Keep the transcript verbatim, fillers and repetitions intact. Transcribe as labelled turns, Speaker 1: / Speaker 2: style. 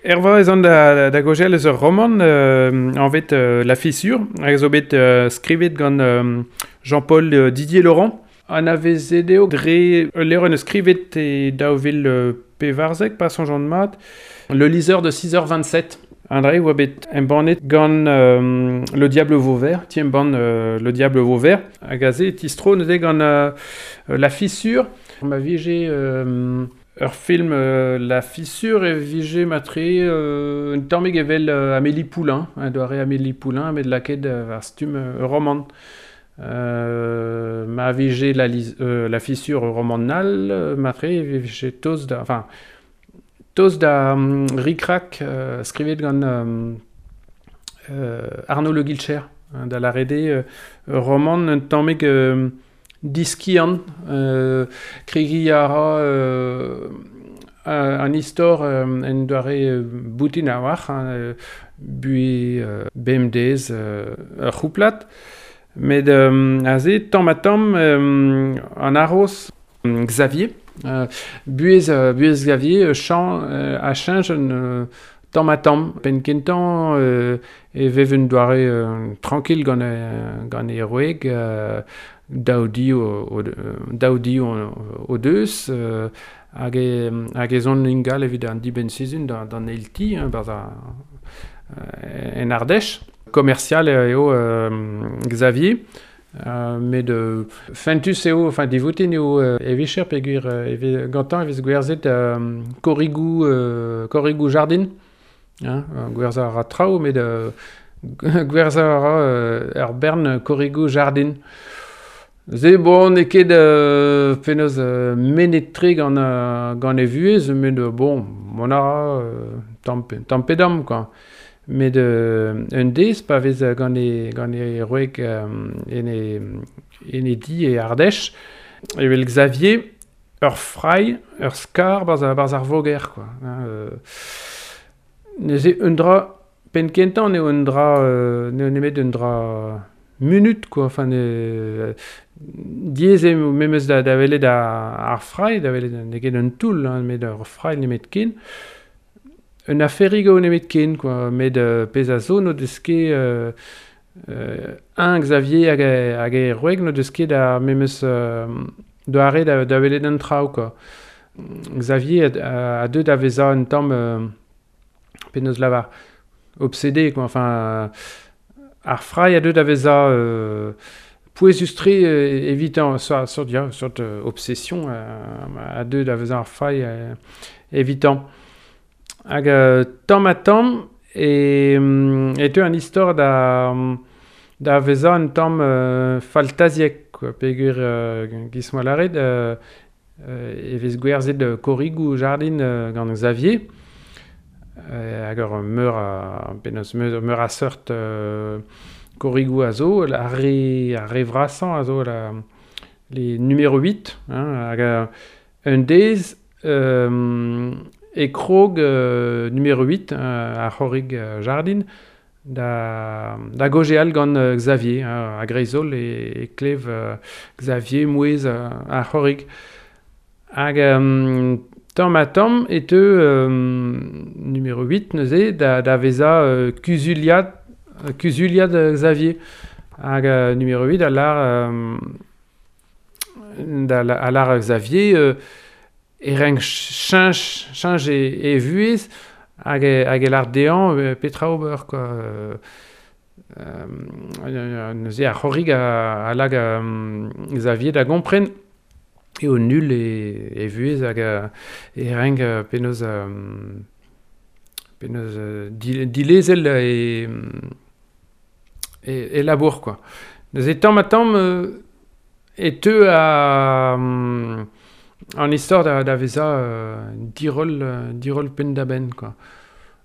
Speaker 1: Erva ez an da, da gogel eus ur roman euh, anvet euh, La Fissure, hag zo bet euh, skrivet gant euh, Jean-Paul euh, Didier Laurent. An avezet eo dre ul levr en eus skrivet e daou vil euh, pevarzek, pa soñj an mat, Le liseur de six heures vingt-sept. An dre oa bet embannet gant euh, Le Diable Vauvert, ti embann euh, Le Diable Vauvert, hag aze tistro neuze gant euh, La Fissure. Ma vije euh, ur film euh, La Fissure e vije matre euh, un tammig evel euh, Amélie Poulain, un doare Amélie Poulain, met laket euh, ar stumm euh, roman. Euh, ma vije la, euh, la Fissure roman nal, matre e vije toz da, enfin, toz da um, Ric-Rac euh, skrivet gant euh, euh, Arnaud Le Guilcher, hein, da la rede euh, roman un tammig euh, diskian, euh, kregi a ra euh, an istor euh, en doare euh, boutin a war, hein, euh, bue euh, bemdez euh, ur c'houplat, met euh, aze tamm ha tamm euh, an arroz Xavier, euh, buez, euh, buez Xavier, chan euh, a cheñch un euh, tamm ha tamm, penn kentañ euh, e vev un doare euh, tranquille gant e, gant e roeg, euh, daou di o, o, daou di o, o deus, euh, hag e, hag ez on ingal evit an dibenn sizhun d'an, d'an eil ti, hein, barzh a, euh, en Ardèche. Commercial eo euh, Xavier, euh, met euh, fentus eo, enfin divoutin eo euh, e vicher peogwir euh, e vez gantañ e vez gwerzhet euh, korrigoù, euh, korrigoù jardin, hein, gwerzhañ a ra traoù, met euh, gwerzhañ a ra euh, ur bern korrigoù jardin. Se bon, n'eo ket euh, penaos euh, menet-tre gant, euh, gant e vuhez, met euh, bon, mont a ra euh, tamm pe, tamm pe damm, quoi. Met euh, un dez, pa vez gant e, gant e roeg euh, en e, en e di e Ardèche, evel Xavier, ur frai, ur skar barz, barz ar voger, quoi. Hein, euh, neuze un dra, penn kentañ n'eo un dra, euh, n'eo nemet un dra munut, quoi. Enfin, ne, diaes eo memes da, da welet ar, ar frai, da welet n'eo ket un toull, hein, met ur frai nemet ken. Un aferig eo nemet ken, quoi. Met euh, pezh a zo n'o deus ket euh, euh, un Xavier hag e, hag e roeg n'o deus ket ar memes euh, doare da, da welet an traoù, quoi. Xavier a, a deu da vezañ un tamm euh, penaos lavar obsédé, quoi. Enfin, ar frai a deu da vezañ euh, pouezus-tre euh, evitañ, sort, sort, ya, sort euh, obsession euh, a deu da vezañ ar frai euh, evitañ. Hag euh, tamm ha tamm e, e teu an istor da, da vezañ un tamm euh, faltaziek, quoi, peogwir euh, giz moa lâret, euh, euh, e vez gwerzhet korrigoù jardin euh, gant Xavier, euh, hag ur meur a, penaos meur, meur a seurt euh, korrigoù a zo, ar re, ar re vrasañ a zo la, les numéro huit, hein, hag euh, un dez euh, e krog euh, numéro huit, euh, ar c'horrig euh, jardin, da, da gogeal gant euh, Xavier, hein, a greizol e, e klev euh, Xavier mouez euh, ar c'horrig. Hag euh, tamm ha tamm e teu euh, numéro huit neuze da, da vezañ euh, kuzuliad, kuzuliad Xavier. Hag euh, numéro huit a lar, euh, da, a lar Xavier euh, e renk cheñch, cheñch e, e vuhez hag e, hag e lar dezhañ euh, petra ober, quoi. Euh, euh, neuze ar c'horrig a, a lag euh, Xavier da gompren eo nul e, e vuhez hag e renk penaos, euh, penaos euh, dilezel e, e, e labour, quoi. Neuze tamm ha tamm euh, e teu a um, an istor da, da vezañ euh, diroll, diroll penn da benn, quoi.